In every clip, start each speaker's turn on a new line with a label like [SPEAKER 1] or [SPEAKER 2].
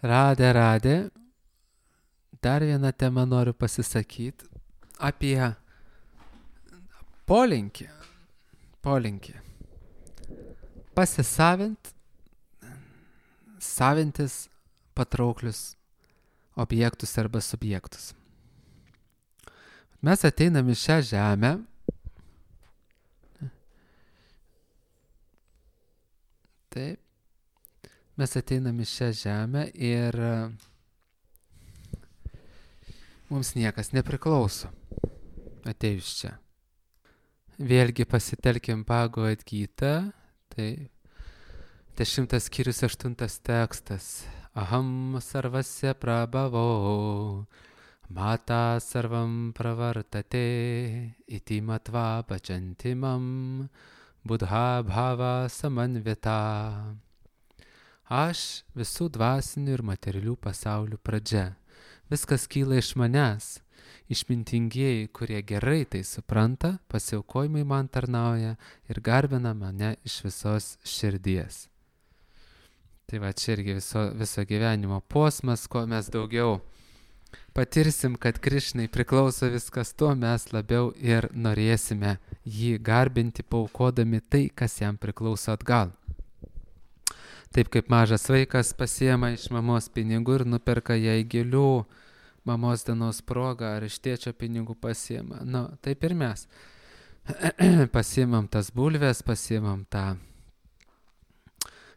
[SPEAKER 1] Radė. Dar vieną temą noriu pasisakyti apie polinkį. Savintis patrauklius objektus arba subjektus. Mes ateinam į šią žemę. Taip. Mes ateinam į šią žemę ir mums niekas nepriklauso atėjus čia. Vėlgi pasitelkim Bhagavad Gitą, tai 10 skyrius 8 tekstas. Aham sarvasya prabhavau, mata sarvam pravartate, iti matva bhajantimam, buddha bhava samanvita. Aš visų dvasinių ir materialių pasaulių pradžia. Viskas kyla iš manęs. Išmintingieji, kurie gerai tai supranta, pasiaukojimai man tarnauja ir garbina mane iš visos širdies. Tai va čia irgi viso gyvenimo posmas, kuo mes daugiau patirsim, kad Krišnai priklauso viskas, tuo mes labiau ir norėsime jį garbinti, paaukodami tai, kas jam priklauso atgal. Taip kaip mažas vaikas pasiema iš mamos pinigų ir nuperka jai gėlių, mamos dienos proga ar iš tėčio pinigų pasiema. Taip ir mes. Pasiemam tas bulves, pasiemam tą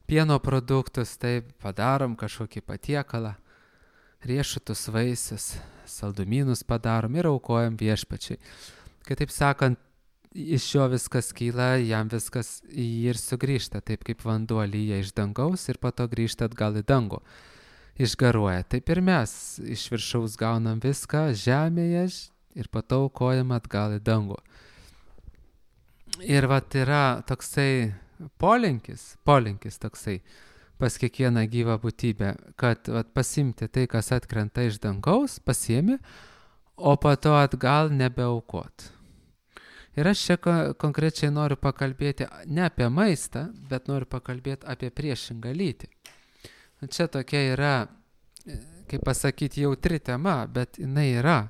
[SPEAKER 1] pieno produktus, taip padarom kažkokį patiekalą, riešutus, vaisius, saldumynus padarom ir aukojam viešpačiai. Kitaip sakant, iš jo viskas kyla, jam viskas ir sugrįžta, taip kaip vanduo lyja iš dangaus ir po to grįžta atgal į dangų. Išgaruoja. Taip ir mes iš viršaus gaunam viską žemėje ir po to aukojam atgal į dangų. Ir vat yra toksai polinkis toksai pas kiekvieną gyvą būtybę, kad vat pasimti tai, kas atkrenta iš dangaus, pasiemi, o po to atgal nebeaukot. Ir aš čia konkrečiai noriu pakalbėti ne apie maistą, bet noriu pakalbėti apie priešingą lytį. Čia tokia yra, kaip pasakyti, jautri tema, bet jinai yra.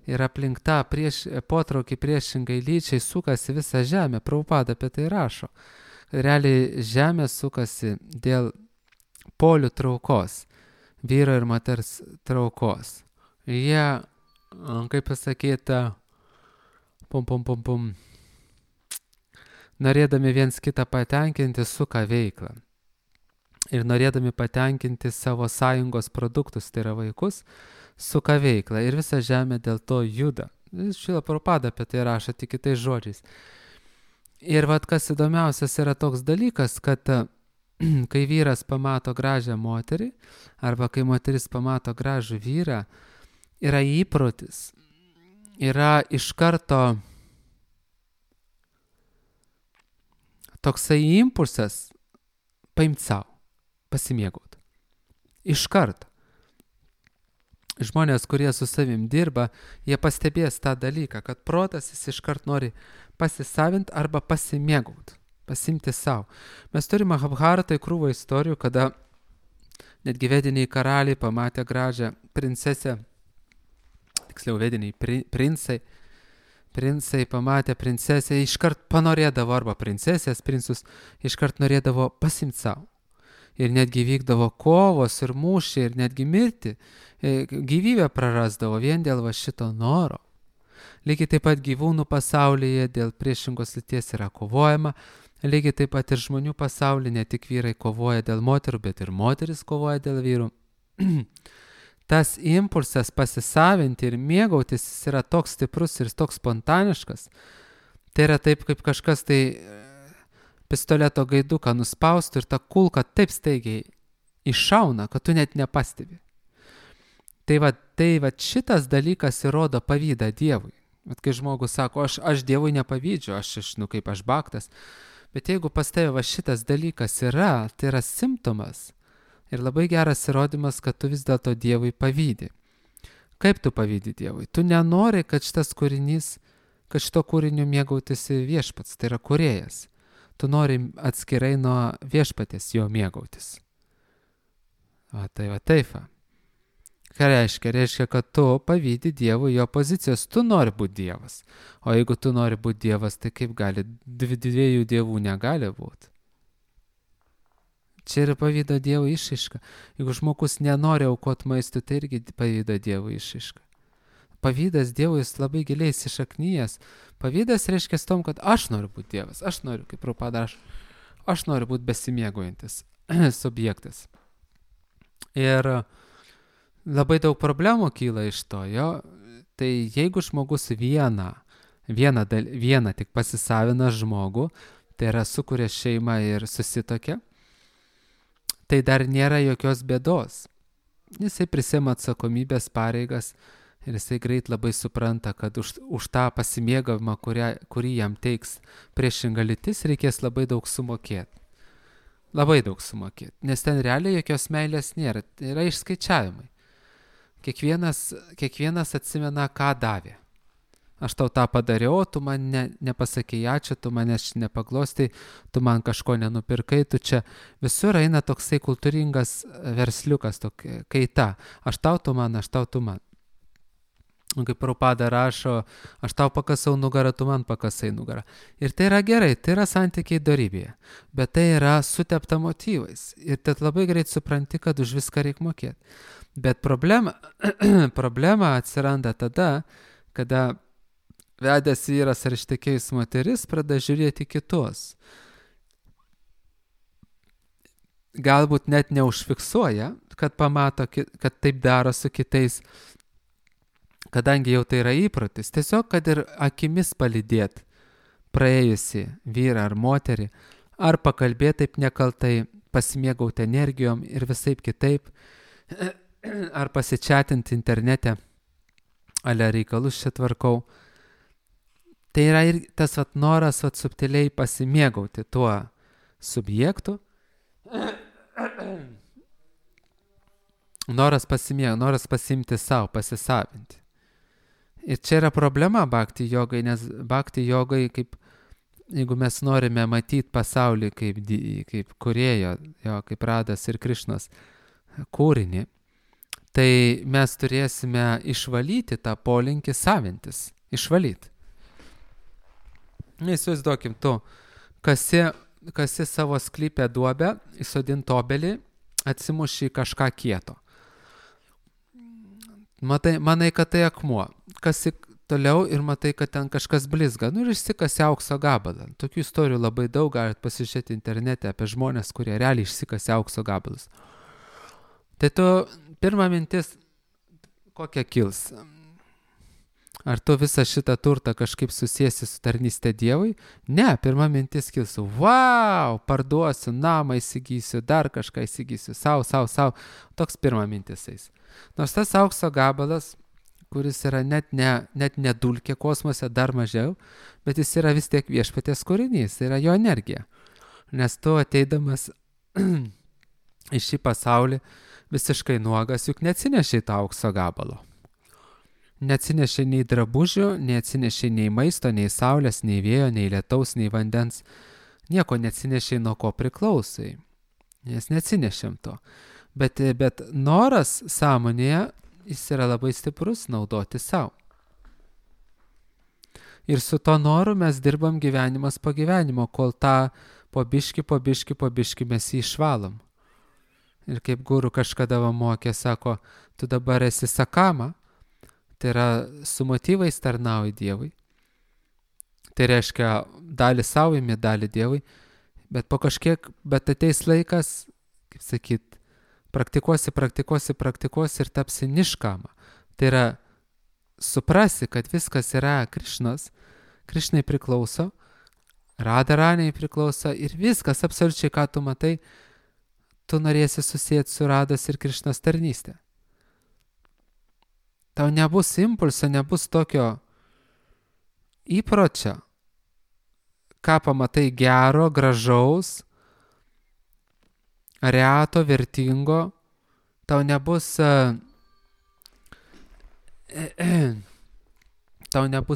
[SPEAKER 1] Ir aplink tą potraukį priešingai lyčiai sukasi visa žemė. Prabhupada apie tai rašo. Realiai žemė sukasi dėl polių traukos, vyro ir moters traukos. Jie, kaip pasakyti, norėdami viens kitą patenkinti, suka veiklą. Ir norėdami patenkinti savo sąjungos produktus, tai yra vaikus, suka veiklą. Ir visa žemė dėl to juda. Šrila Prabhupada apie tai rašo tik kitais žodžiais. Ir vat kas įdomiausias yra toks dalykas, kad kai vyras pamato gražią moterį, arba kai moteris pamato gražų vyrą, yra įprotis, yra iš karto toksai impulsas paimti savo, pasimėgauti. Iš karto. Žmonės, kurie su savim dirba, jie pastebės tą dalyką, kad protas jis iš karto nori pasisavinti arba pasimėgauti, pasimti savo. Mes turime Mahabharatoj krūvą istorijų, kada netgi vediniai karaliai pamatė gražią princesę, tiksliau vediniai princai pamatė princesę, iškart panorėdavo arba princesės, princus, iškart norėdavo pasimti savo. Ir netgi vykdavo kovos ir mūšiai ir netgi mirti, gyvybę prarasdavo vien dėl va šito noro. Lygiai taip pat gyvūnų pasaulyje dėl priešingos lyties yra kovojama, lygiai taip pat ir žmonių pasaulyje ne tik vyrai kovoja dėl moterų, bet ir moteris kovoja dėl vyrų. Tas impulsas pasisavinti ir mėgautis yra toks stiprus ir toks spontaniškas. Tai yra taip, kaip kažkas tai pistoleto gaiduką nuspaustų ir ta kulka taip staigiai iššauna, kad tu net nepastebi. Tai va šitas dalykas įrodo pavydą Dievui. Bet kai žmogus sako, aš Dievui nepavydžiu, kaip aš baktas. Bet jeigu pas tave va šitas dalykas yra, tai yra simptomas ir labai geras įrodymas, kad tu vis dėlto Dievui pavydi. Kaip tu pavydi Dievui? Tu nenori, kad šito kūriniu mėgautųsi viešpats, tai yra kūrėjas. Tu nori atskirai nuo viešpatės jo mėgautis. Va taip. Va. Ką reiškia? Reiškia, kad tu pavydi Dievui jo pozicijos, tu nori būti Dievas. O jeigu tu nori būti Dievas, tai kaip gali? Dviejų dievų negali būti. Čia yra pavydo Dievo išraiška. Jeigu žmogus nenori aukoti maistui, tai irgi pavydo Dievo išraiška. Pavydas Dievui jis labai giliai įsišaknyjęs. Pavydas reiškia tom, kad aš noriu būti Dievas. Aš noriu, kaip Prabhupada rašo, aš noriu būti besimėgaujantis subjektas. Ir labai daug problemų kyla iš to, jo. Tai jeigu žmogus vieną tik pasisavina žmogų, tai yra sukuria šeimą ir susitokia, tai dar nėra jokios bėdos. Jisai prisima atsakomybės pareigas ir jisai greit labai supranta, kad už tą pasimėgavimą, kurį jam teiks priešinga lytis, reikės labai daug sumokėti. Labai daug sumokėti, nes ten realiai jokios meilės nėra, tai yra išskaičiavimai. Kiekvienas atsimena, ką davė. Aš tau tą padariau, tu man nepasakei ačiū, tu manęs nepaglostai, tu man kažko nenupirkai, tu čia visur eina toksai kultūringas versliukas, tokia kaita. Aš tau, tu man. Kaip Prabhupada rašo, aš tau pakasau nugarą, tu man pakasai nugarą. Ir tai yra gerai, tai yra santykiai dorybėje, bet tai yra sutepta motyvais. Ir tad labai greit supranti, kad už viską reikia mokėti. Bet problema atsiranda tada, kada vedęs vyras ar ištekėjus moteris pradeda žiūrėti kitus. Galbūt net neužfiksuoja, kad pamato, kad taip daro su kitais, kadangi jau tai yra įprotis. Tiesiog, kad ir akimis palydėt praėjusi vyrą ar moterį, ar pakalbėti taip nekaltai, pasimėgauti energijom ir visaip kitaip, ar pasičiatinti internete, ale reikalus čia tvarkau. Tai yra ir tas noras subtiliai pasimėgauti tuo subjektu. Noras pasimti savo, pasisavinti. Ir čia yra problema bhakti jogai, nes bhakti jogai, kaip, jeigu mes norime matyti pasaulį kaip kūrėjo, kaip Radas ir Krišnos kūrinį, tai mes turėsime išvalyti tą polinkį savintis. Išvalyti. Įsivaizduokim, tu kasi savo sklypę duobę, įsodint obelį, atsimuši kažką kieto. Manai, kad tai akmuo. Kasi toliau ir matai, kad ten kažkas blizga. Ir išsikasi aukso gabalą. Tokių istorijų labai daug, galite pasižiūrėti internete apie žmonės, kurie realiai išsikasi aukso gabalus. Tai tu pirma mintis, kokia kils? Ar tu visą šitą turtą kažkaip susiesi su tarnystė Dievui? Ne, pirma mintis kilsiu, wow, parduosiu, namą įsigysiu, dar kažką įsigysiu, sau. Toks pirma mintis eis. Nors tas aukso gabalas, kuris yra net ne dulkė kosmose, dar mažiau, bet jis yra vis tiek viešpaties kūrinys, tai yra jo energija. Nes tu ateidamas į šį pasaulį visiškai nuogas, juk neatsinešiai tą aukso gabalo. Neatsinešiai nei drabužių, neatsinešiai nei maisto, nei saulės, nei vėjo, nei lietaus, nei vandens. Nieko neatsinešiai, nuo ko priklausai. Nes neatsinešėm to. Bet noras sąmonėje, jis yra labai stiprus naudoti savo. Ir su to noru mes dirbam gyvenimas po gyvenimo, kol tą po biški mes jį išvalom. Ir kaip guru kažkada mokė, sako, tu dabar esi sakama, tai yra su motyvais tarnauji Dievui. Tai reiškia, dalį savo imi, dalį Dievui, bet ateis laikas, kaip sakyt, praktikuosi ir tapsi niškama. Tai yra, suprasi, kad viskas yra Krišnos, Krišnai priklauso, Radharaniai priklauso ir viskas, absoliučiai, ką tu matai, tu norėsi susijęti su Rados ir Krišnos tarnystė. Tau nebus impulso, nebus tokio įpročio, ką pamatai gero, gražaus, reto, vertingo, tau nebus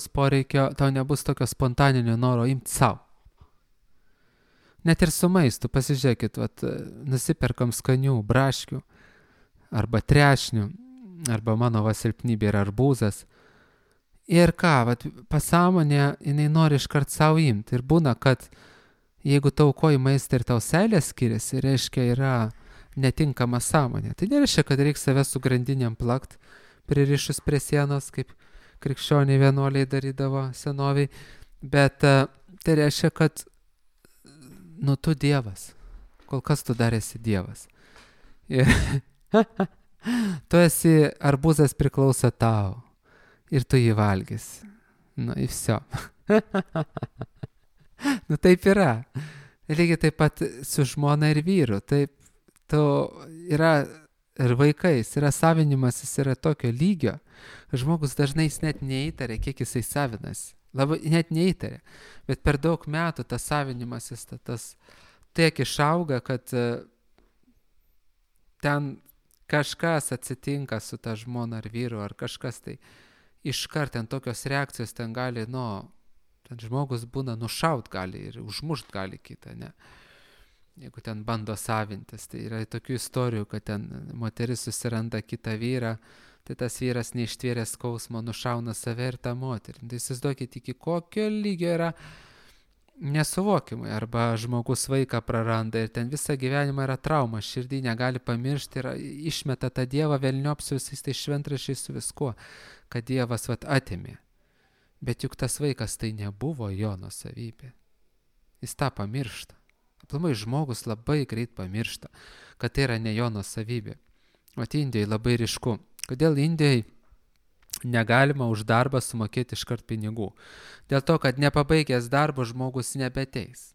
[SPEAKER 1] poreikio, tau nebus tokio spontaninio noro imti savo. Net ir su maistu, pasižiūrėkit, nusiperkam skanių braškių, arba trešnių, arba mano silpnybė yra arbūzas. Ir ką, pasąmonė, jinai nori iškart savo imti. Ir būna, kad jeigu tau aukoji maistą ir tau seilė skiriasi, reiškia yra netinkama sąmonė. Tai nereiškia, kad reikia save su grandinėm plakt, pririšus prie sienos, kaip krikščioniai vienuoliai darydavo senoviai. Bet tai reiškia, kad tu Dievas. Kol kas tu dar esi Dievas. Ir tu esi, arbūzas priklauso tau. Ir tu jį valgysi. Ir viso. Taip yra. Lygiai taip pat su žmona ir vyru. Taip, tu yra ir vaikais, yra savinimasis, yra tokio lygio. Žmogus dažnai jis net neįtarė, kiek jisai savinas. Labai net neįtarė. Bet per daug metų tas savinimasis, tas tiek išauga, kad ten kažkas atsitinka su ta žmona ar vyru, ar kažkas tai. Iškart ten tokios reakcijos ten gali, ten žmogus būna nušaut gali ir užmušt gali kitą, ne? Jeigu ten bando savintis, tai yra tokių istorijų, kad ten moteris susiranda kitą vyrą, tai tas vyras neištvėręs skausmo nušauna save ir tą moterį. Tai įsivaizduokit, iki kokio lygio yra nesuvokimai, arba žmogus vaiką praranda ir ten visą gyvenimą yra trauma, širdį negali pamiršti ir išmeta tą Dievą velniop su visais tai šventrašiais su viskuo, kad Dievas atėmė. Bet juk tas vaikas tai nebuvo jo nuosavybė. Jis tą pamiršta. Aplamai žmogus labai greit pamiršta, kad tai yra ne jo nuosavybė. Indijoje labai ryšku. Kodėl Indijoje negalima už darbą sumokėti iškart pinigų? Dėl to, kad nepabaigęs darbo žmogus nebeteis.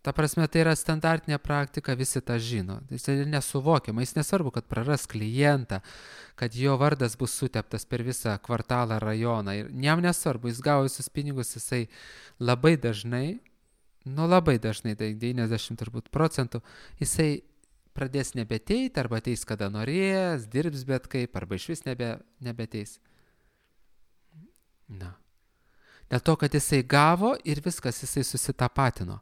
[SPEAKER 1] Ta prasme, tai yra standartinė praktika, visi tą žino. Jis nesuvokiama, jis nesvarbu, kad praras klientą, kad jo vardas bus suteptas per visą kvartalą, rajoną. Ir jam nesvarbu, jis gavo visus pinigus, jisai labai dažnai, tai 90% jisai pradės nebeteiti, arba ateis kada norės, dirbs bet kaip, arba iš vis nebeteis. Dėl to, kad jisai gavo ir viskas, jisai susitapatino.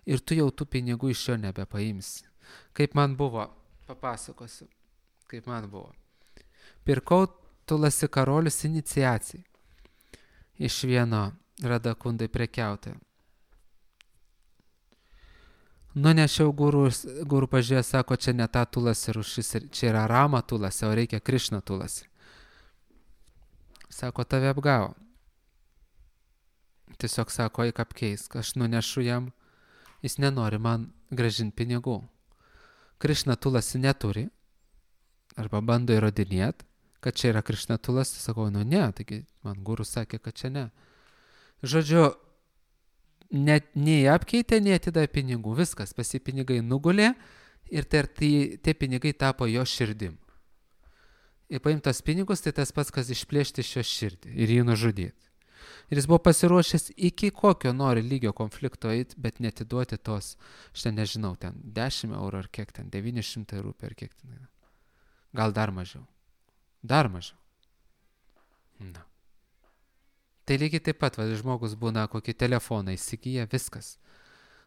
[SPEAKER 1] Ir tu jau tų pinigų iš jo nebepaimsi. Kaip man buvo, papasakosiu, kaip man buvo. Pirkau Tulasi karolius iniciacijai iš vieno Radakundai prekiautojo. Nunešiau guru pažiūrėjo, sako, čia ne ta Tulasi rūšis, čia yra Rama Tulasi, o reikia Krišna Tulasi. Sako, tave apgavo. Tiesiog sako, eik apkeisk, aš nunešu jam, jis nenori man grąžinti pinigų. Krišna Tulasi neturi, arba bando įrodinėti, kad čia yra Krišna Tulasi, sakau, ne, taigi man guru sakė, kad čia ne. Žodžiu, nei apkeitė, nei atidavė pinigų, viskas, pasi pinigai nugulė ir tie pinigai tapo jo širdim. Ir paimtos pinigus, tai tas pats, kas išplėšti iš jo širdį ir jį nužudyti. Ir jis buvo pasiruošęs iki kokio nori lygio konflikto eiti, bet netiduoti tos, aš nežinau, ten 10 eurų ar kiek ten, 900 eurų per kiek ten. Gal dar mažiau. Tai lygiai taip pat, žmogus būna kokį telefoną įsigyja, viskas.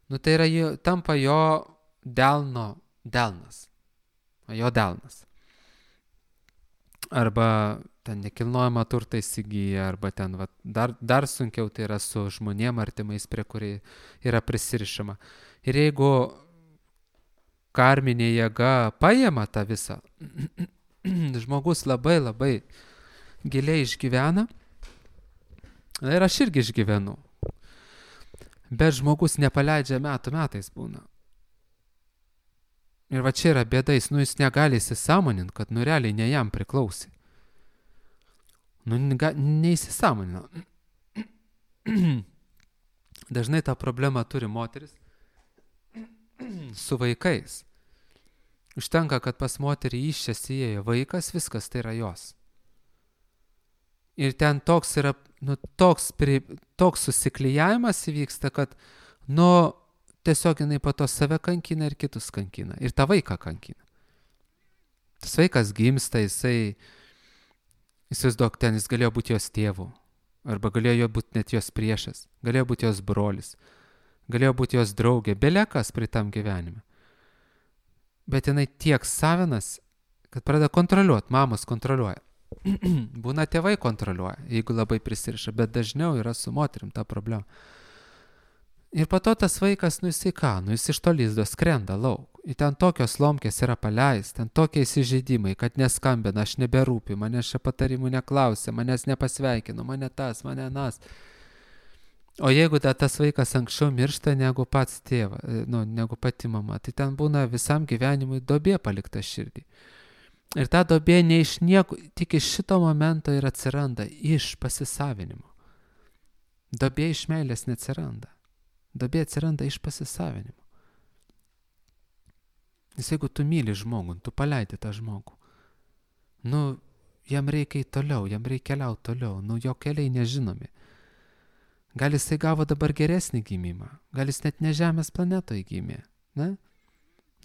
[SPEAKER 1] Tai yra, tampa jo delnas. Jo delnas. Arba ten nekilnojamą turtą įsigyja, arba ten dar sunkiau tai yra su žmonėm artimais, prie kuriai yra prisirišama. Ir jeigu karminė jėga paima tą visą, žmogus labai labai giliai išgyvena, ir aš irgi išgyvenu, bet žmogus nepaleidžia metais būna. Ir čia yra bėda, jis negali įsisąmoninti, kad realiai ne jam priklausė. Neįsisąmonino. Dažnai tą problemą turi moteris su vaikais. Užtenka, kad pas moterį iščias įėjo vaikas, viskas tai yra jos. Ir ten toks yra, toks susiklijavimas įvyksta, kad, tiesiog jinai po to save kankina ir kitus kankina. Ir tą vaiką kankina. Tas vaikas gimsta, įsivaizduok, ten jis galėjo būti jos tėvu, arba galėjo būti net jos priešas, galėjo būti jos brolis, galėjo būti jos draugė, belekas prie tam gyvenime. Bet jinai tiek savinas kad pradeda kontroliuoti, mamos kontroliuoja. Būna tėvai kontroliuoja, jeigu labai prisiriša, bet dažniau yra su moterim ta problema. Ir po to tas vaikas, jisai ką, jis iš to lizdo skrenda lauk. Ir ten tokios lomkės yra paleis, ten tokie įsižeidimai, kad neskambina, aš neberūpi, manęs čia patarimų neklausė, manęs nepasveikino, mane tas, mane nas. O jeigu tas vaikas anksčiau miršta negu pats tėva, negu pati mama, tai ten būna visam gyvenimui duobė palikta širdį. Ir ta duobė ne iš nieko, tik iš šito momento ir atsiranda, iš pasisavinimo. Duobė iš meilės neatsiranda. Duobė atsiranda iš pasisavinimo. Nes jeigu tu myli žmogų, tu paleidi tą žmogų. Jam reikia į toliau, jam reikia keliauti toliau, jo keliai nežinomi. Gal jisai gavo dabar geresnį gimimą, gal jis net ne Žemės planetoje gimė, ne?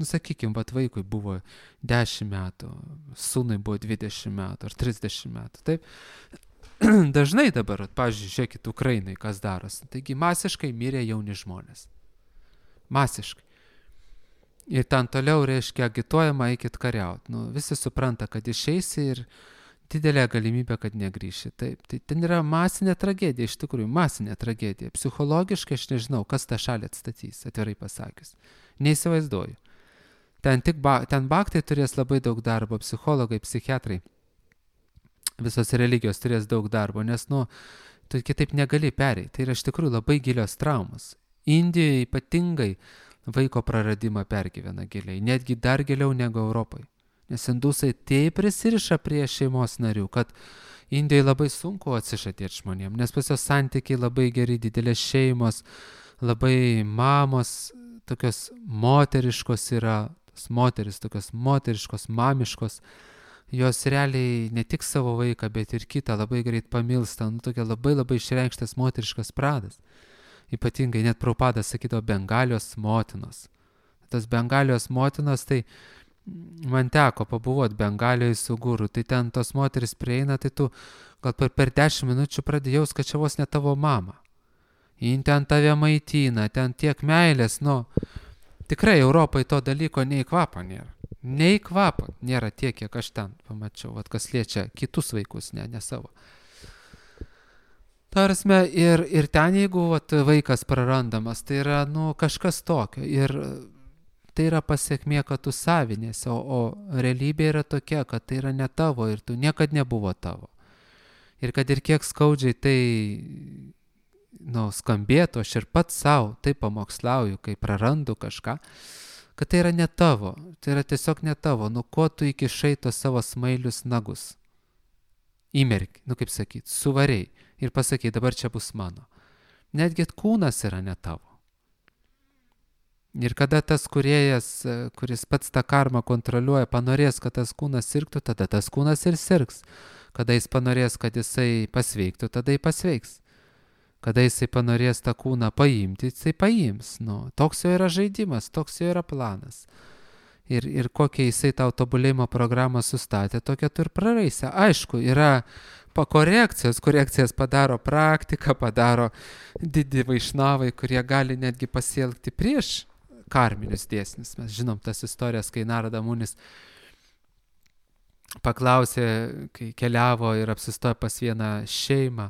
[SPEAKER 1] Sakykim, vaikui buvo 10 metų, sūnui buvo 20 metų ar 30 metų, taip? Dažnai dabar, pavyzdžiui, žiūrėkit Ukrainai, kas darosi. Taigi masiškai mirė jauni žmonės. Masiškai. Ir ten toliau, reiškia, agituojama, eikit kariauti. Visi supranta, kad išeisi ir didelė galimybė, kad negrįši. Taip, tai ten yra masinė tragedija, iš tikrųjų, masinė tragedija. Psichologiškai aš nežinau, kas tą šalį atstatys, atvirai pasakius. Neįsivaizduoju. Ten baktai turės labai daug darbo, psichologai, psichiatrai. Visos religijos turės daug darbo, nes, tu kitaip negali pereiti. Tai yra iš tikrųjų labai gilios traumas. Indijoje ypatingai vaiko praradimą pergyvena giliai, netgi dar giliau negu Europoje. Nes indusai taip prisiriša prie šeimos narių, kad Indijoje labai sunku atsižadėti žmonėm, nes pas jos santykiai labai geri, didelės šeimos, labai mamos, tokios moteriškos yra, moteris, tokios moteriškos, mamiškos, jos realiai ne tik savo vaiką, bet ir kitą labai greit pamilsta, tokia labai labai išreikštas moteriškas pradas. Ypatingai net Prabhupada sakydavo Bengalijos motinos. Tas Bengalijos motinos, tai man teko pabuvoti Bengalijoje su guru, tai ten tos moteris prieina, tai tu gal per 10 minučių pradėjaus, kad čia vos ne tavo mama. Jin ten tave maitina, ten tiek meilės, tikrai Europoje to dalyko nei kvapo nėra. Nei kvapo nėra tiek, kiek aš ten pamačiau, kas liečia kitus vaikus, ne savo. Tarasme, ir ten, jeigu vaikas prarandamas, tai yra kažkas tokio. Ir tai yra pasiekmė, kad tu savinėsi, o realybė yra tokia, kad tai yra ne tavo ir tu niekad nebuvo tavo. Ir kad ir kiek skaudžiai tai skambėtų, aš ir pats savo taip pamokslauju, kai prarandu kažką, kad tai yra ne tavo, tai yra tiesiog ne tavo, ko tu įkišai tos savo smailius nagus. Įmerki, kaip sakyt, suvariai ir pasakai, dabar čia bus mano. Netgi kūnas yra ne tavo. Ir kada tas kūrėjas, kuris pats tą karmą kontroliuoja, panorės, kad tas kūnas sirgtų, tada tas kūnas ir sirgs. Kada jis panorės, kad jisai pasveiktų, tada jis pasveiks. Kada jisai panorės tą kūną paimti, jisai paims. Toks jo yra žaidimas, toks jo yra planas. Ir kokią jisai tau tobulėjimo programą sustatė, tokią tu ir praraisi. Aišku, yra korekcijas padaro praktika, padaro didi vaišnavai, kurie gali netgi pasielgti prieš karminius dėsnius. Mes žinom tas istorijas, kai Narada Munis paklausė, kai keliavo ir apsistojo pas vieną šeimą,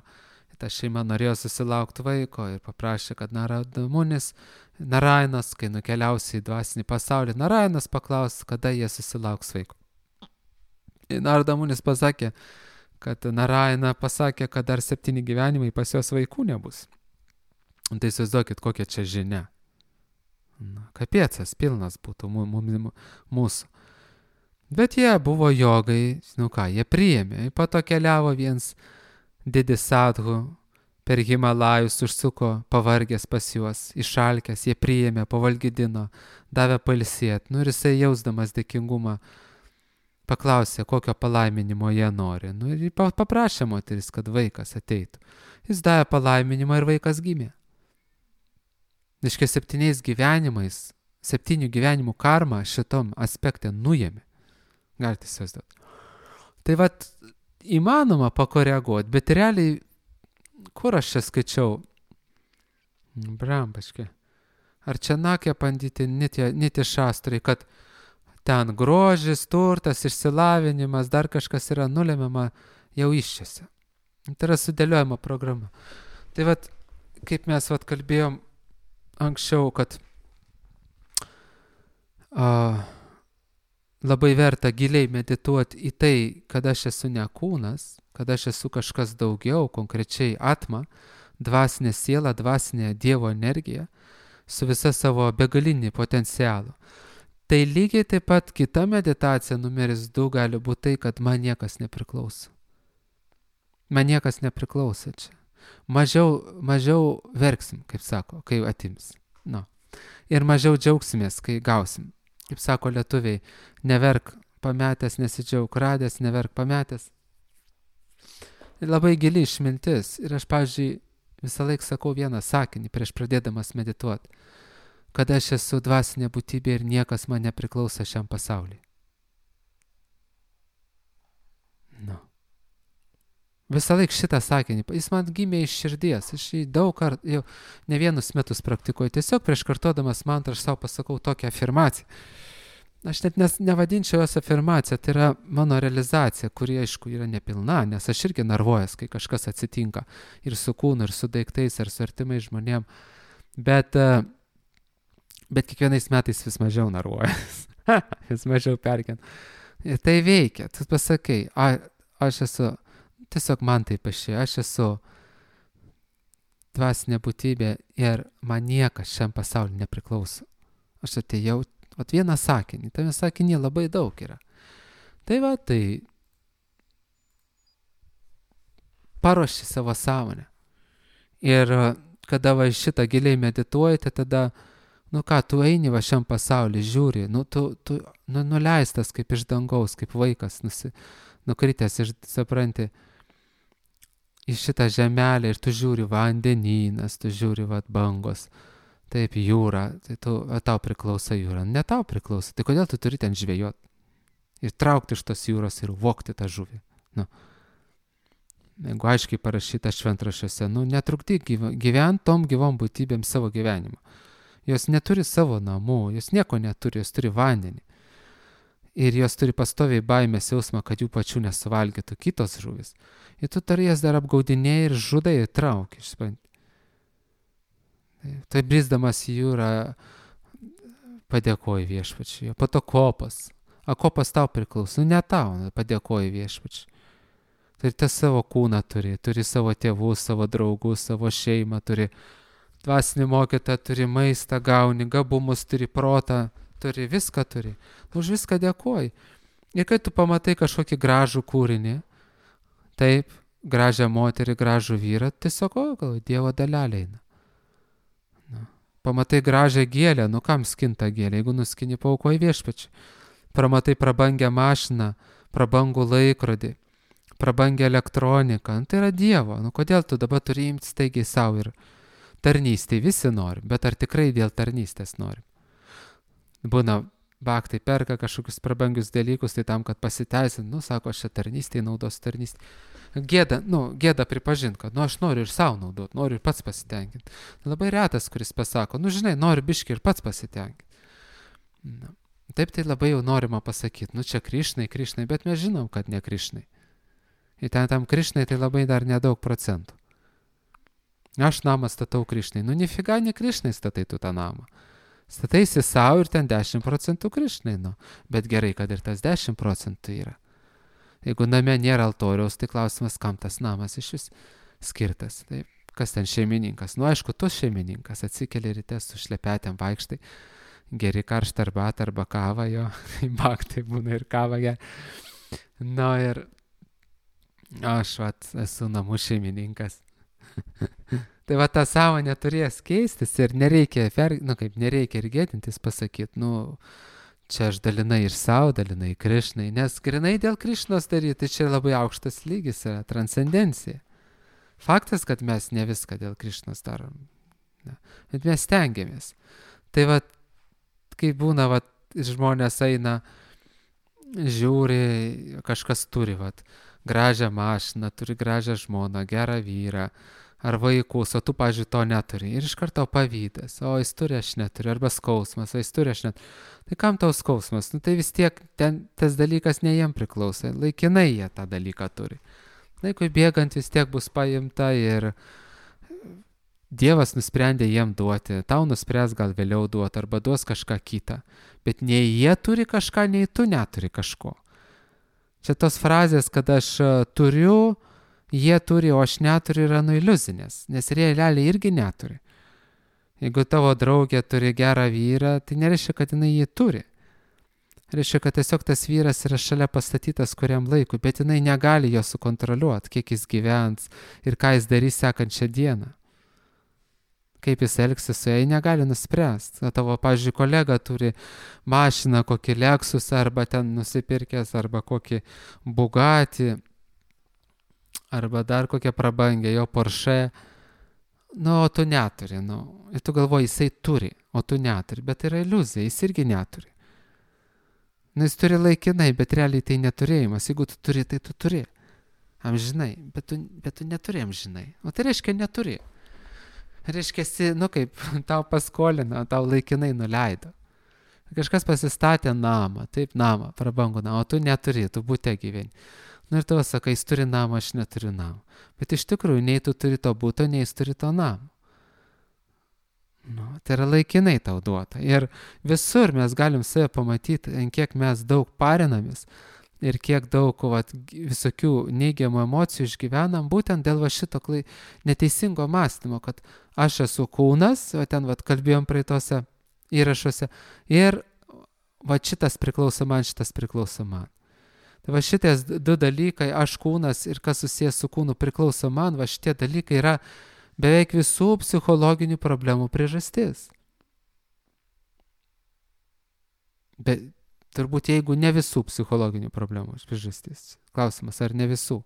[SPEAKER 1] ta šeima norėjo susilaukti vaiko ir paprašė, kad Narada Munis, Narainas, kai nukeliausi į dvasinį pasaulį, Narainas paklaus, kada jie susilauks vaiko. Ir Narada Munis pasakė, kad Naraina pasakė, kad dar 7 gyvenimai pas jos vaikų nebus. Tai įsivaizduokit, kokia čia žinia. Kapiecas pilnas būtų mūsų. Bet jie buvo jogai, jie priėmė. Po to keliavo viens didis sadhu per Himalajus, užsuko pavargęs pas juos, išalkęs, jie priėmė, pavalgydino, davė pailsėt. Ir jisai jausdamas dėkingumą paklausė, kokio palaiminimo jie nori. Ir paprašė moteris, kad vaikas ateitų. Jis davė palaiminimą ir vaikas gimė. Iškia 7 gyvenimais, 7 gyvenimų karmą šitom aspekte nuėmė. Galite įsivaizduoti. Tai įmanoma pakoreguoti, bet realiai, kur aš čia skaičiau? Brambaškė. Ar čia nakė pandyti nitė šastrai, kad ten grožis, turtas, išsilavinimas, dar kažkas yra nulemiama jau iščiose. Tai yra sudėliojama programa. Tai vat, kaip mes vat kalbėjom anksčiau, kad labai verta giliai medituoti į tai, kad aš esu ne kūnas, kad aš esu kažkas daugiau, konkrečiai atma, dvasinė siela, dvasinė Dievo energija, su visa savo begalinį potencialu. Tai lygiai taip pat kita meditacija numeris 2 gali būti tai, kad man niekas nepriklauso. Man niekas nepriklauso čia. Mažiau verksim, kaip sako, kai atims. No. Ir mažiau džiaugsimės, kai gausim. Kaip sako lietuviai, neverk pametęs, nesidžiaug radęs, neverk pametęs. Ir labai gili išmintis. Ir aš, pavyzdžiui, visą laiką sakau vieną sakinį prieš pradėdamas medituoti, kad aš esu dvasinė būtybė ir niekas man nepriklauso šiam pasauliui. No. Visą laiką šitą sakinį, jis man gimė iš širdies, aš jį daug kartų, jau ne vienus metus praktikuoju, tiesiog prieš kartodamas mantrą aš savo pasakau tokią afirmaciją. Aš net nevadinčiau jos afirmaciją, tai yra mano realizacija, kuri aišku yra nepilna, nes aš irgi narvuojas, kai kažkas atsitinka ir su kūnu, ir su daiktais, ir su artimais žmonėm, bet kiekvienais metais vis mažiau narvuojas, vis mažiau perkent. Ir tai veikia, tu pasakai, aš esu, tiesiog man taip išėjo, aš esu dvasinė būtybė ir man niekas šiam pasauliu nepriklauso. Aš atėjau, vieną sakinį, tame sakinį labai daug yra. Tai paruoši savo sąmonę. Ir kada šitą giliai medituojate, tada, tu eini šiam pasauliu, žiūri, tu nuleistas kaip iš dangaus, kaip vaikas, nukritęs ir supranti, į šitą žemelę ir tu žiūri vandenynas, tu žiūri bangos, taip jūra, tai tau priklauso jūra, ne tau priklauso, tai kodėl tu turi ten žvejoti ir traukti iš tos jūros ir vokti tą žuvį? Jeigu aiškiai parašyta šventraščiuose, netrukdyk gyventi tom gyvom būtybėm savo gyvenimą. Jos neturi savo namų, jos nieko neturi, jos turi vandenį. Ir jos turi pastoviai baimės jausmą, kad jų pačių nesuvalgytų kitos žuvis. Ir tu jas dar apgaudinėjai ir žudai ir trauki. Tai brisdamas į jūrą padėkoji viešpačiui. Po to kopas. Kopas tau priklauso. Ne tau, padėkoji viešpačiui. Tai tas savo kūną turi savo tėvus, savo draugus, savo šeimą, turi dvasinį mokytą, turi maistą, gauni, gabumus, turi protą, turi viską turi. Už viską dėkoji. Ir kai tu pamatai kažkokį gražų kūrinį, taip, gražią moterį, gražų vyrą, tiesiog, gal Dievo dalelė eina. Pamatai gražią gėlę, kam skinta gėlė, jeigu nuskini, paaukoji viešpačiui. Pamatai prabangią mašiną, prabangų laikrodį, prabangią elektroniką, tai yra Dievo. Kodėl tu dabar turi imti staigiai savo ir tarnystė, visi nori, bet ar tikrai dėl tarnystės nori? Būna, baktai perka kažkokius prabangius dalykus, tai tam, kad pasiteisint, sako, aš čia tarnystėje naudos tarnystėje. Gėda pripažint, kad, aš noriu ir savo naudot, noriu ir pats pasitenkinti. Labai retas, kuris pasako, žinai, noriu biškį ir pats pasitenkinti. Taip tai labai jau norima pasakyti, čia Krišnai, bet mes žinom, kad ne Krišnai. Ir tam Krišnai tai labai dar nedaug procentų. Aš namą statau Krišnai, nifiga ne Krišnai statai tu tą namą. Stataisi savo ir ten 10% Krišnai, bet gerai, kad ir tas 10% yra. Jeigu name nėra altoriaus, tai klausimas, kam tas namas iš vis skirtas. Tai kas ten šeimininkas? Aišku, tu šeimininkas, atsikeli ryte su šlepetėm vaikštai, geri karštą arbatą arba kavą, jo, baktai būna ir kavą geria. Ir aš esu namų šeimininkas. Tai ta sąmonė turės keistis ir nereikia ir gėdintis pasakyti, čia aš dalinai ir savo, dalinai Krišnai, nes grinai dėl Krišnos daryti, čia labai aukštas lygis yra, transcendencija. Faktas, kad mes ne viską dėl Krišnos darom, bet mes stengiamės. Tai kai būna, žmonės eina, žiūri, kažkas turi, gražią mašiną, turi gražią žmoną, gerą vyrą, ar vaikus, o tu, pavyzdžiui, to neturi. Ir iš karto pavydas, o jis turi, aš neturiu, arba skausmas, o jis turi, aš neturiu. Tai kam tau skausmas? Nu tai vis tiek ten tas dalykas ne jiem priklauso, laikinai jie tą dalyką turi. Laikui bėgant vis tiek bus paimta ir Dievas nusprendė jiem duoti, tau nuspręs gal vėliau duoti arba duos kažką kitą. Bet nei jie turi kažką, nei tu neturi kažko. Čia tos frazės, kad aš turiu, jie turi, o aš neturiu, yra iliuzinės, nes realiai irgi neturi. Jeigu tavo draugė turi gerą vyrą, tai nereiškia, kad jinai jį turi. Reiškia, kad tiesiog tas vyras yra šalia pastatytas kuriam laikui, bet jinai negali jo sukontroliuoti, kiek jis gyvens ir ką jis darys sekančią dieną. Kaip jis elgsis su jai, negali nuspręsti. Tavo, pavyzdžiui, kolega turi mašiną, kokį Lexus, arba ten nusipirkęs, arba kokį Bugatti, arba dar kokią prabangę, jo Porsche. O tu neturi. Ir tu galvoji, jisai turi, o tu neturi. Bet tai yra iliuzija, jis irgi neturi. Jis turi laikinai, bet realiai tai neturėjimas. Jeigu tu turi, tai tu turi. Amžinai, bet tu neturi amžinai. O tai reiškia neturi. Reiškia, kaip tau paskolino, tau laikinai nuleido. Kažkas pasistatė namą, taip namą, prabangų namą, o tu neturi, tu bute gyveni. Ir tavo sakai, jis turi namą, aš neturiu namą. Bet iš tikrųjų, nei tu turi to buto, nei jis turi to namą. Tai yra laikinai tau duota. Ir visur mes galim save pamatyti, ant kiek mes daug parinamės ir kiek daug visokių neigiamų emocijų išgyvenam, būtent dėl šito neteisingo mąstymo, kad aš esu kūnas, o ten kalbėjom praeitose įrašuose, ir šitas priklauso man, šitas priklauso man. Tai šities du dalykai, aš kūnas ir kas susijęs su kūnu priklauso man, šitie dalykai yra beveik visų psichologinių problemų priežastis. Bet turbūt jeigu ne visų psichologinių problemų priežastis. Klausimas, ar ne visų?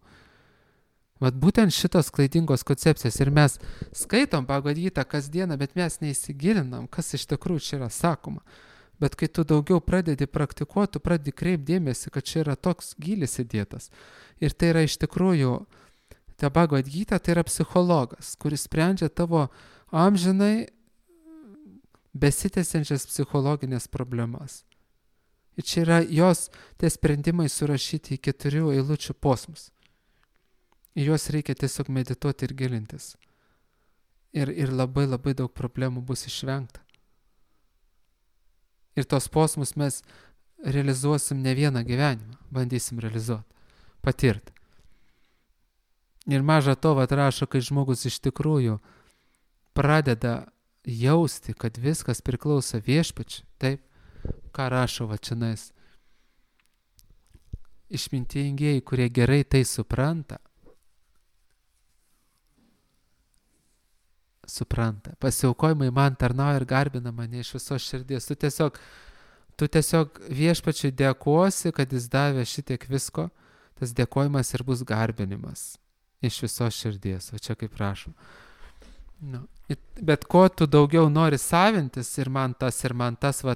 [SPEAKER 1] Būtent šitos klaidingos koncepcijos ir mes skaitom Bhagavad Gitą kasdieną, bet mes neįsigilinam, kas iš tikrųjų čia yra sakoma. Bet kai tu daugiau pradedi praktikuoti, tu pradedi kreipdėmėsi, kad čia yra toks gylis įdėtas. Ir tai yra iš tikrųjų, ta Bhagavad Gita tai yra psichologas, kuris sprendžia tavo amžinai besitęsiančias psichologinės problemas. Ir čia yra jos tie sprendimai surašyti į 4 eilučių posmus. Į juos reikia tiesiog medituoti ir gilintis. Ir labai labai daug problemų bus išvengta. Ir tos posmus mes realizuosim ne vieną gyvenimą, bandysim realizuoti, patirti. Ir maža to rašo, kai žmogus iš tikrųjų pradeda jausti, kad viskas priklauso viešpačiui, taip, ką rašo čionais. Išmintingieji, kurie gerai tai supranta. Pasiaukojimai man tarnauja ir garbina mane iš visos širdies. Tu tiesiog viešpačiui dėkosi, kad jis davė šitiek visko, tas dėkojimas ir bus garbinimas iš visos širdies. O čia kaip prašom. Bet ko tu daugiau nori savintis ir man tas,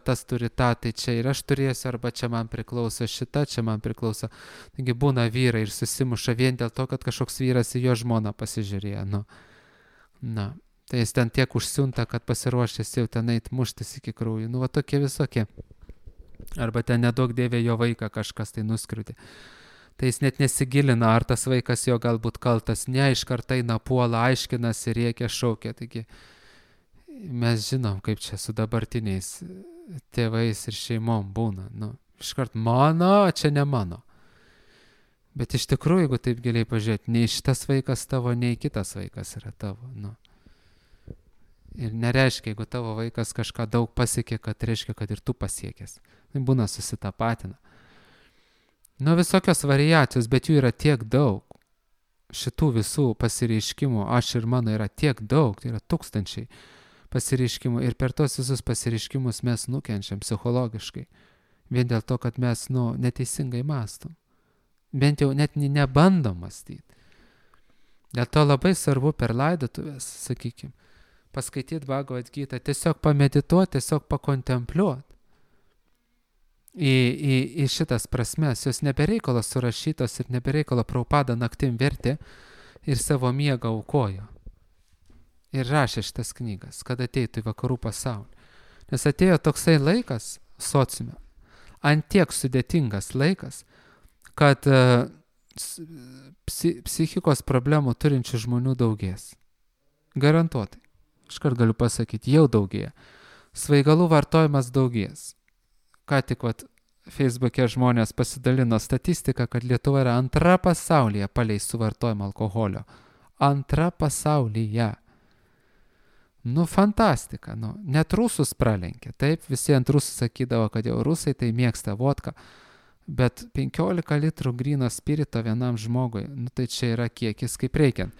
[SPEAKER 1] tas turi tą, tai čia ir aš turėsiu, arba čia man priklauso šita, čia man priklauso. Taigi būna vyrai ir susimuša vien dėl to, kad kažkoks vyras į jo žmoną pasižiūrėjo. Tai jis ten tiek užsiunta, kad pasiruošęs jau ten eit muštis iki krūjų. Tokie visokie. Arba ten nedaug dėvė jo vaiką kažkas tai nuskriūdė. Tai jis net nesigilina, ar tas vaikas jo galbūt kaltas, ne, iš karto eina puola, aiškinasi, rėkia, šaukia. Taigi mes žinom, kaip čia su dabartiniais tėvais ir šeimom būna. Iš karto mano, čia ne mano. Bet iš tikrųjų, jeigu taip giliai pažiūrėti, nei šitas vaikas tavo, nei kitas vaikas yra tavo. Ir nereiškia, jeigu tavo vaikas kažką daug pasiekė, kad reiškia, kad ir tu pasiekęs. Tai būna susitapatina. Visokios variacijos, bet jų yra tiek daug. Šitų visų pasireiškimų, aš ir mano, yra tiek daug, tai yra tūkstančiai pasireiškimų. Ir per tos visus pasireiškimus mes nukenčiam psichologiškai. Vien dėl to, kad mes neteisingai mąstom. Bent jau net nebandom mąstyti. Dėl to labai svarbu per laidotuvės, sakykime, paskaityti Bhagavad Gitą, tiesiog pamedituoti, tiesiog pakontempliuoti. Į šitas prasmes, jos nebereikalo surašytos ir nebereikalo Prabhupada naktim vertė ir savo miegą aukojo. ir rašė šitas knygas, kad ateitų į vakarų pasaulį. Nes atėjo toksai laikas sociume, ant tiek sudėtingas laikas, kad psichikos problemų turinčių žmonių daugės. Garantuotai. Iškart galiu pasakyti, jau daugėja. Svaigalų vartojimas daugės. Ką tik Facebook'e žmonės pasidalino statistiką, kad Lietuva yra antra pasaulyje palei suvartojimą alkoholio. Antra pasaulyje. Fantastika. Net rusus pralenkė. Taip, visi ant rusų sakydavo, kad jau rusai tai mėgsta vodką. Bet 15 litrų gryno spirito vienam žmogui, tai čia yra kiekis kaip reikiant.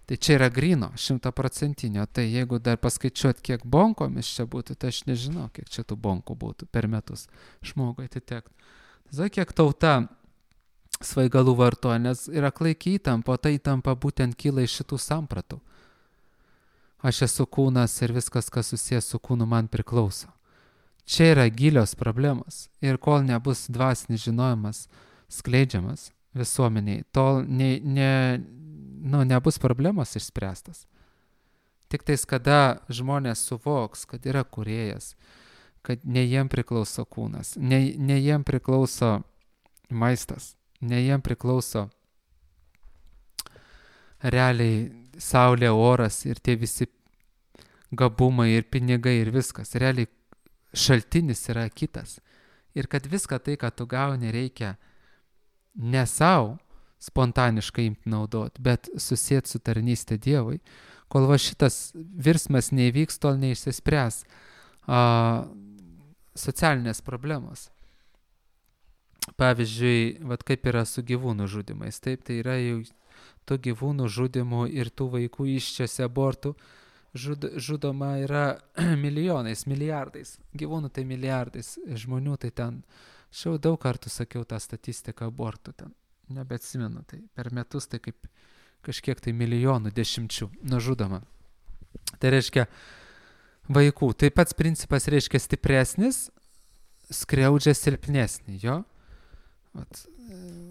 [SPEAKER 1] Tai čia yra gryno, 100%. Tai jeigu dar paskaičiuot, kiek bonkomis čia būtų, tai aš nežinau, kiek čia tų bonkų būtų per metus žmogui atitektų. Tai kiek tauta svaigalų vartoja, nes yra klaiki įtampa, o ta įtampa būtent kyla iš šitų sampratų. Aš esu kūnas ir viskas, kas susijęs su kūnu, man priklauso. Čia yra gilios problemos ir kol nebus dvasinis žinojimas skleidžiamas visuomeniai, tol nebus problemos išspręstas. Tik tais, kada žmonės suvoks, kad yra kūrėjas, kad ne jiem priklauso kūnas, ne jiem priklauso maistas, ne jiem priklauso realiai saulė, oras ir tie visi gabumai ir pinigai ir viskas. Realiai šaltinis yra kitas. Ir kad viską tai, ką tu gauni, reikia ne savo spontaniškai imti naudoti, bet susėti su tarnystė Dievui. Kol šitas virsmas neįvyks, tol neišsispręs socialinės problemos. Pavyzdžiui, kaip yra su gyvūnų žudimais. Taip, tai yra jau tų gyvūnų žudimų ir tų vaikų iščiose abortų žudoma yra milijonais, milijardais. Gyvūnų tai milijardais, žmonių tai ten. Aš jau daug kartų sakiau tą statistiką abortų ten. Nebeatsimenu, tai per metus tai kaip kažkiek tai milijonų dešimčių nužudoma. Tai reiškia vaikų. Tai pats principas reiškia stipresnis, skriaudžia silpnesnį, jo.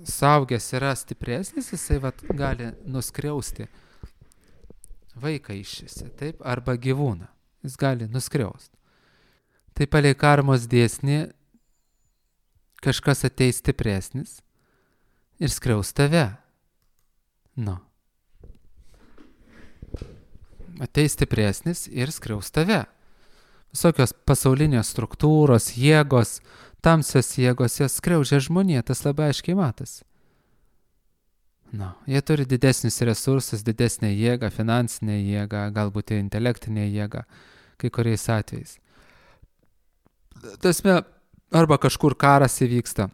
[SPEAKER 1] Suaugęs yra stipresnis, jisai gali nuskriausti vaiką iššėse, taip, arba gyvūną. Jis gali nuskriausti. Tai palei karmos dėsnį kažkas ateis stipresnis ir skriaus tave. Ateis stipresnis ir skriaus tave. Visokios pasaulinės struktūros, jėgos, tamsios jėgos, jos skriaudžia žmoniją, tas labai aiškiai matosi. Jie turi didesnius resursus, didesnę jėgą, finansinę jėgą, galbūt ir intelektinę jėgą, kai kuriais atvejais. Tasme, arba kažkur karas įvyksta,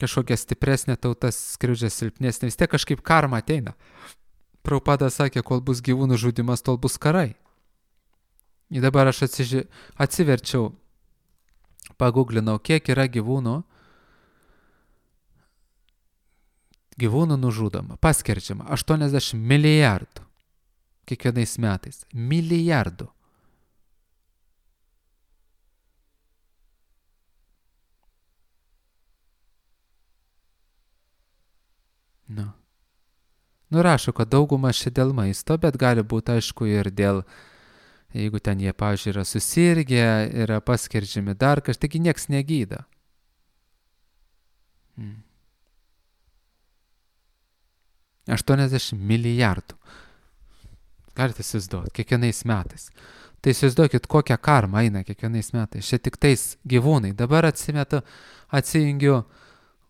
[SPEAKER 1] kažkokia stipresnė tauta skriaudžia silpnesnė, vis tiek kažkaip karma ateina. Prabhupada sakė, kol bus gyvūnų žudimas, tol bus karai. Ir dabar aš atsiverčiau, paguglinau, kiek yra gyvūnų nužudoma, paskerdžiama 80 milijardų kiekvienais metais. Milijardų. Rašo, kad dauguma čia dėl maisto, bet gali būti aišku ir dėl, jeigu ten jie, pavyzdžiui, yra susirgę, yra paskerdžiami dar kažkaip, taigi nieks negydo. 80 milijardų. Galite įsivaizduoti, kiekvienais metais. Tai įsivaizduokit, kokią karmą eina kiekvienais metais. Čia tik tais gyvūnai. Dabar atsijungiu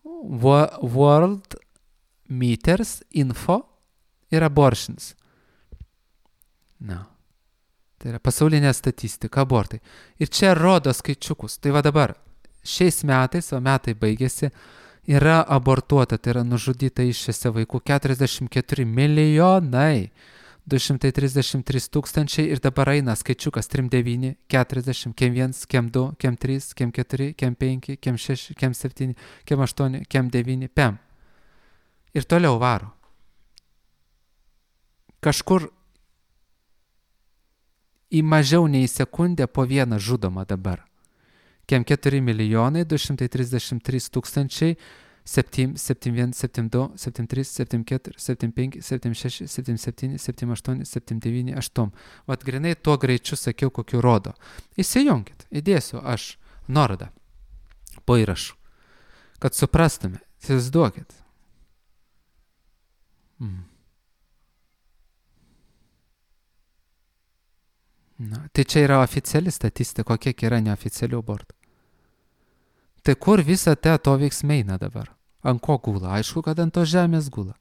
[SPEAKER 1] World Meters Info ir Abortions. Tai yra pasaulinė statistika, abortai. Ir čia rodo skaičiukus. Tai dabar, šiais metais, o metai baigėsi, yra abortuota, tai yra nužudyta iššiose vaikų 44 milijonai, 233 tūkstančiai ir dabar eina skaičiukas 39, 40, kem 1, kem 2, kem 3, kem 4, kem 5, kem 6, kem 7, kem 8, kem 9, pem. Ir toliau varo. Kažkur į mažiau nei sekundę po vieną žudoma dabar. Kem 4 milijonai, 233 tūkstančiai, 7, 71, 72, 73, 74, 75, 76, 77, 78, 79, 8. Vat grinai tuo greičiu sakiau, kokiu rodo. Įsijunkit, įdėsiu aš nuorodą po įrašu, kad suprastume, įsivaizduokit. Na, tai čia yra oficiali statistika, kiek yra neoficialių abortų. Tai kur visą to veiksmai eina dabar? Ant ko gula? Aišku, kad ant to žemės gula.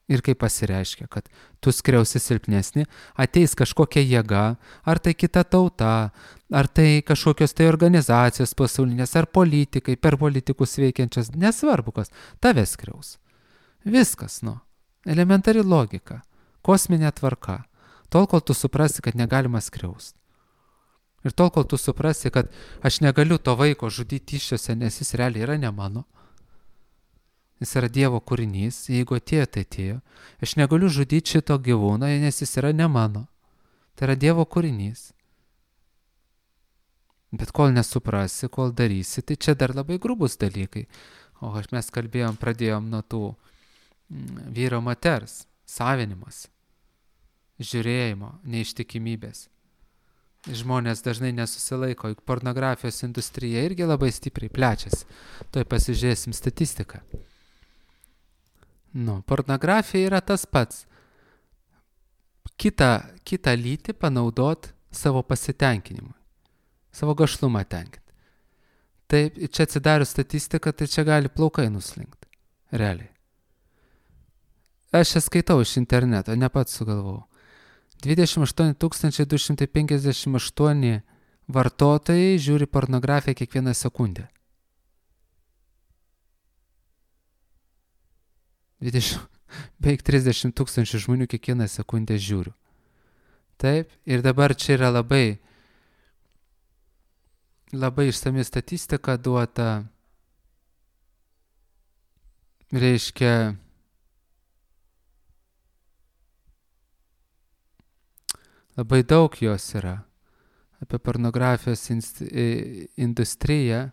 [SPEAKER 1] Ir kaip pasireiškia, kad tu skriausi silpnesnį, ateis kažkokia jėga, ar tai kita tauta, ar tai kažkokios tai organizacijos pasaulinės, ar politikai, per politikus veikiančias, nesvarbu kas, tave skriaus. Viskas, elementari logika, kosminė tvarka. Tol, kol tu suprasi, kad negalima skriausti. Ir tol, kol tu suprasi, kad aš negaliu to vaiko žudyti iššiose, nes jis realiai yra ne mano. Jis yra Dievo kūrinys, jeigu atėjo, tai atėjo. Aš negaliu žudyti šito gyvūno, nes jis yra ne mano. Tai yra Dievo kūrinys. Bet kol nesuprasi, kol darysi, tai čia dar labai grubus dalykai. O mes pradėjom nuo tų vyro moters, savinimas, žiūrėjimo, neištikimybės. Žmonės dažnai nesusilaiko, juk pornografijos industrija irgi labai stipriai plečiasi. Tuoj pasižiūrėsim statistiką. Pornografija yra tas pats. Kitą lytį panaudot savo pasitenkinimui, savo gašlumą tenkinti. Taip, čia atsidarius statistiką, tai čia gali plaukai nuslinkti. Realiai. Aš čia skaitau iš interneto, ne pats sugalvojau. 28 258 vartotojai žiūri pornografiją kiekvieną sekundę. Beveik 30 000 žmonių kiekvieną sekundę žiūriu. Taip, ir dabar čia yra labai išsami statistika duota, reiškia, labai daug jos yra apie pornografijos industriją.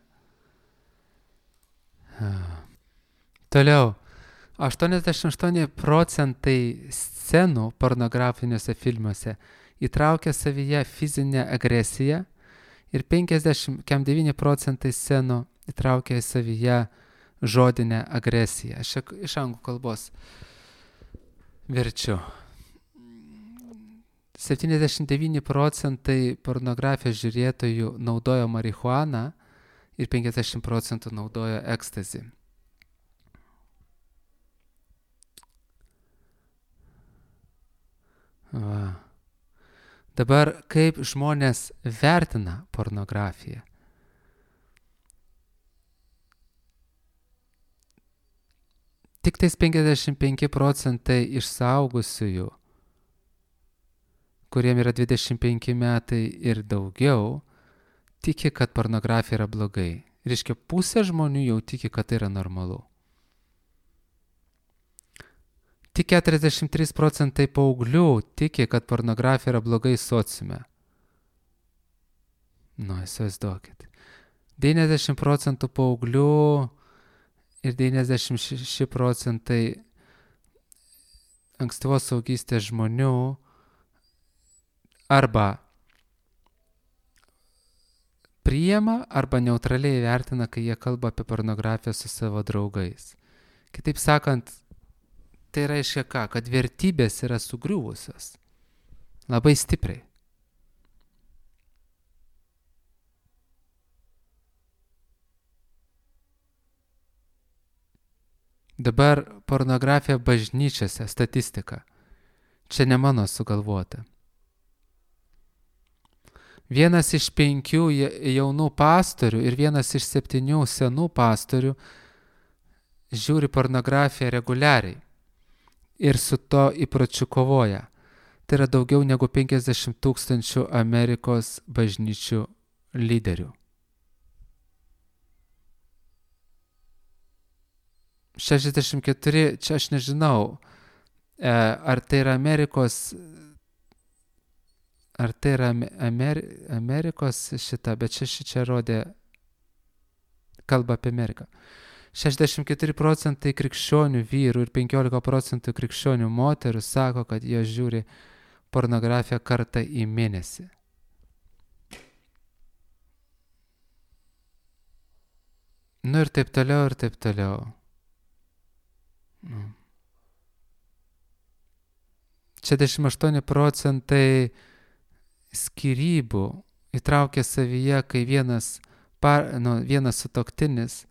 [SPEAKER 1] Toliau, 88% scenų pornografiniuose filmuose įtraukia savyje fizinę agresiją ir 59% scenų įtraukia savyje žodinę agresiją. Aš iš anglų kalbos verčiu. 79% pornografijos žiūrėtojų naudojo marihuaną ir 50% naudojo ekstazį. Dabar kaip žmonės vertina pornografiją? Tik tais 55% iš suaugusiųjų, kuriem yra 25 metai ir daugiau, tiki, kad pornografija yra blogai. Reiškia, pusė žmonių jau tiki, kad tai yra normalu. Tik 43% paauglių tiki, kad pornografija yra blogai sociume. Įsivaizduokit. 90% paauglių ir 96% ankstyvos suaugystės žmonių arba priima, arba neutraliai vertina, kai jie kalba apie pornografiją su savo draugais. Kitaip sakant, tai reiškia ką? Kad vertybės yra sugriuvusios. Labai stipriai. Dabar pornografija bažnyčiose, statistika. Čia ne mano sugalvota. 1 iš 5 jaunų pastorių ir 1 iš 7 senų pastorių žiūri pornografiją reguliariai ir su to įpročiu kovoja. Tai yra daugiau negu 50 000 Amerikos bažnyčių lyderių. 64, čia aš nežinau, ar tai yra Amerikos šita, bet čia rodė kalba apie Ameriką. 64% krikščionių vyrų ir 15% krikščionių moterų sako, kad jie žiūri pornografiją kartą į mėnesį. Nu ir taip toliau, ir taip toliau. 68% skyrybų įtraukia savyje, kai vienas sutuoktinis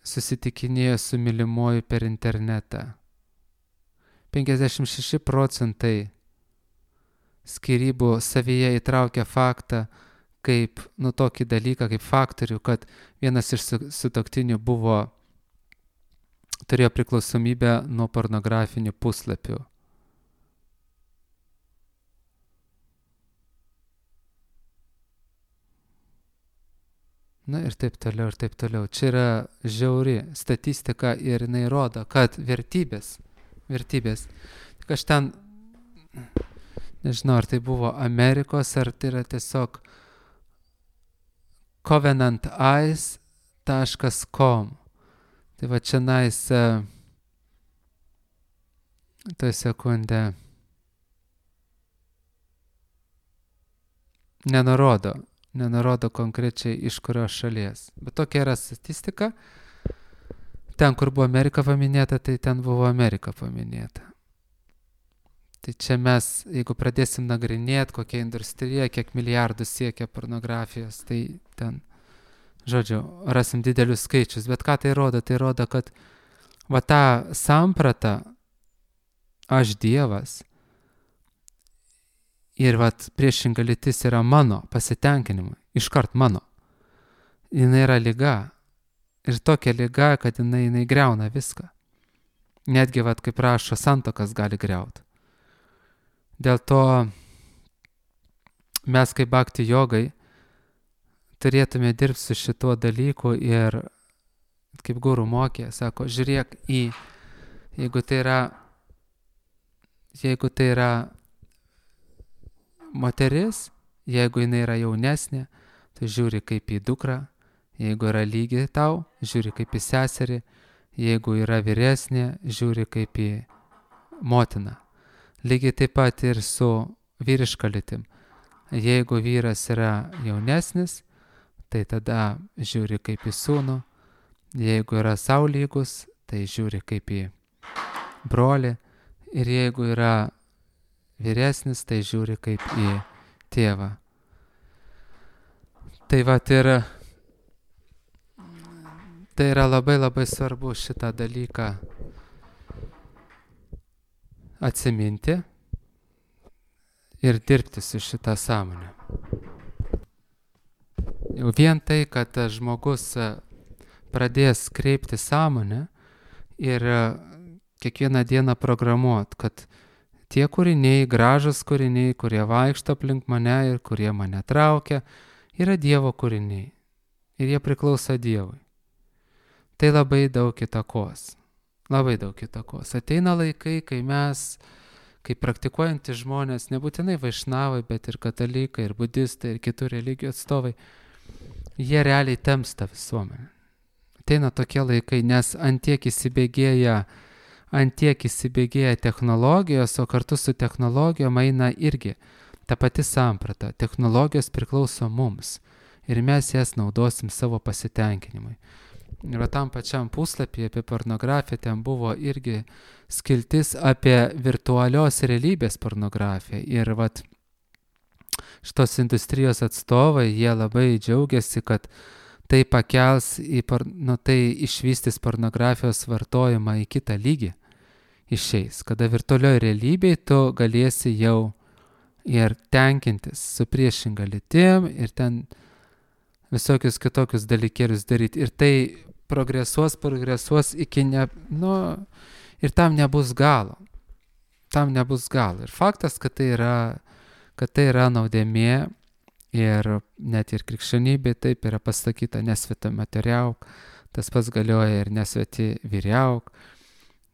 [SPEAKER 1] susitikinėjo su mylimuoju per internetą. 56% skyrybų savyje įtraukia faktą, kaip, tokį dalyką, kaip faktorių, kad vienas iš sutuoktinių turėjo priklausomybę nuo pornografinių puslapių. Na ir taip toliau, ir taip toliau. Čia yra žiauri statistika ir jinai rodo, kad vertybės. Tik aš ten, nežinau, ar tai buvo Amerikos, ar tai yra tiesiog covenanteyes.com. Tai va čia toj sekundę nenurodo konkrečiai iš kurios šalies. Bet tokia yra statistika. Ten, kur buvo Amerika paminėta, tai ten buvo Amerika paminėta. Tai čia mes, jeigu pradėsim nagrinėti, kokia industrija, kiek milijardų siekia pornografijos, tai ten, žodžiu, rasim didelius skaičius. Bet ką tai rodo? Tai rodo, kad va tą sampratą, aš Dievas, ir vat priešinga lytis yra mano pasitenkinimui, iškart mano. Jinai yra liga. Ir tokia liga, kad jinai griauna viską. Netgi, vat, kaip rašo, santuokas gali griauti. Dėl to mes kaip bhakti jogai turėtume dirbti su šituo dalyku ir, kaip guru mokė, sako, žiūrėk jeigu tai yra moteris, jeigu jinai yra jaunesnė, tai žiūri kaip į dukrą, jeigu yra lygi tau, žiūri kaip į seserį, jeigu yra vyresnė, žiūri kaip į motiną. Lygiai taip pat ir su vyriška lytim. Jeigu vyras yra jaunesnis, tai tada žiūri kaip į sūnų, jeigu yra sau lygus, tai žiūri kaip į brolį, ir jeigu yra vyresnis, tai žiūri kaip į tėvą. Tai va, tai yra labai labai svarbu šitą dalyką atsiminti ir dirbti su šitą sąmonę. Jau vien tai, kad žmogus pradės kreipti sąmonę ir kiekvieną dieną programuot, kad tie kūriniai, gražus kūriniai, kurie vaikšto aplink mane ir kurie mane traukia, yra Dievo kūriniai. Ir jie priklauso Dievui. Tai labai daug įtakos. Labai daug įtakos. Ateina laikai, kai mes, kaip praktikuojantys žmonės, nebūtinai vaišnavai, bet ir katalikai, ir budistai, ir kitų religijų atstovai, jie realiai temsta visuomenę. Ateina tokie laikai, nes antiek įsibėgėja technologijos, o kartu su technologijom eina irgi ta pati samprata. Technologijos priklauso mums ir mes jas naudosim savo pasitenkinimui. Ir tam pačiam puslapyje apie pornografiją ten buvo irgi skiltis apie virtualios realybės pornografiją. Ir vat šitos industrijos atstovai, jie labai džiaugiasi, kad tai pakels, tai išvystys pornografijos vartojimą į kitą lygį. Išeis, kada virtualioje realybėje tu galėsi jau ir tenkintis su priešinga lytim ir ten visokius kitokius dalykėlius daryti. Ir tai progresuos iki ir tam nebus galo. Ir faktas, kad tai yra nuodėmė ir net ir krikščionybė taip yra pasakyta, nesveta materiauk, tas pats galioja ir nesveti vyriauk.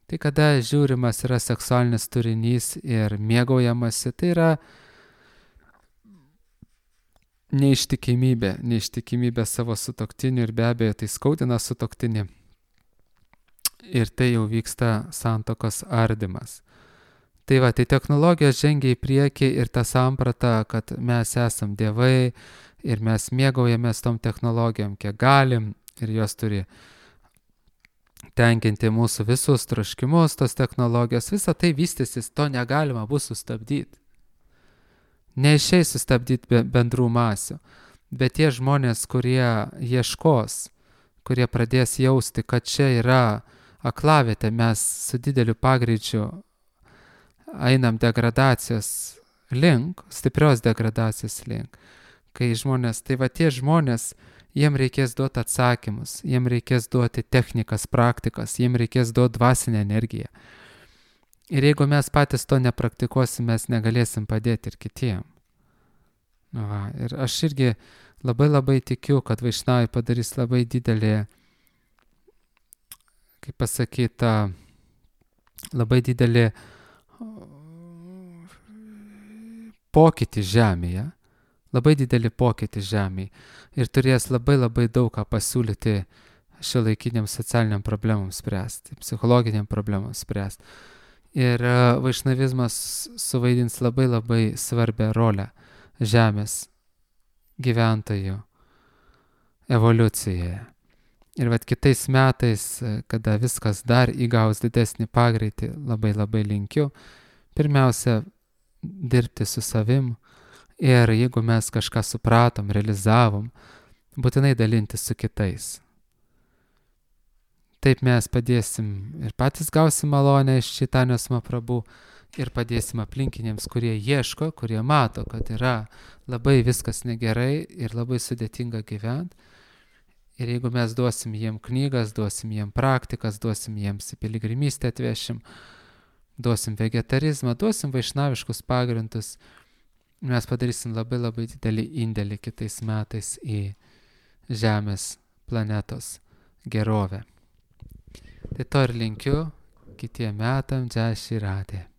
[SPEAKER 1] Tai kada žiūrimas yra seksualinis turinys ir mėgaujamasi, tai yra neištikimybė savo sutuoktiniu ir be abejo tai skaudina sutuoktinį. Ir tai jau vyksta santuokos ardymas. Tai va, tai technologijos žengia į priekį ir ta samprata, kad mes esam dievai ir mes mėgaujamės tom technologijom, kiek galim ir jos turi tenkinti mūsų visus troškimus, tos technologijos, visa tai vystysis, to negalima bus sustabdyti. Neišeis sustabdyti bendrų masių, bet tie žmonės, kurie ieškos, kurie pradės jausti, kad čia yra aklavietė, mes su dideliu pagreičiu einam degradacijos link, stiprios degradacijos link. Kai žmonės, tai va tie žmonės, jiem reikės duoti atsakymus, jiem reikės duoti technikas, praktikas, jiem reikės duoti dvasinę energiją. Ir jeigu mes patys to nepraktikuosim, mes negalėsim padėti ir kitiem. Va, ir aš irgi labai tikiu, kad vaišnavai padarys labai didelį, kaip pasakyta, labai didelį pokytį žemėje, labai didelį pokytį žemėje ir turės labai daug ką pasiūlyti šiuolaikiniam socialiniam problemam spręsti, psichologiniam problemam spręsti. Ir vaišnavizmas suvaidins labai svarbią rolę žemės gyventojų evoliucijoje. Ir vat kitais metais, kada viskas dar įgaus didesnį pagreitį, labai linkiu, pirmiausia, dirbti su savim ir jeigu mes kažką supratom, realizavom, būtinai dalintis su kitais. Taip mes padėsim ir patys gausim malonę iš Čaitanjos Mahaprabhu ir padėsim aplinkiniams, kurie ieško, kurie mato, kad yra labai viskas negerai ir labai sudėtinga gyventi. Ir jeigu mes duosim jiem knygas, duosim jiem praktikas, duosim jiems į piligrimystę atvešim, duosim vegetarizmą, duosim vaišnaviškus pagrindus, mes padarysim labai didelį indėlį kitais metais į Žemės planetos gerovę. Tai to ir linkiu kitiem metam, Jai Shri Radhe.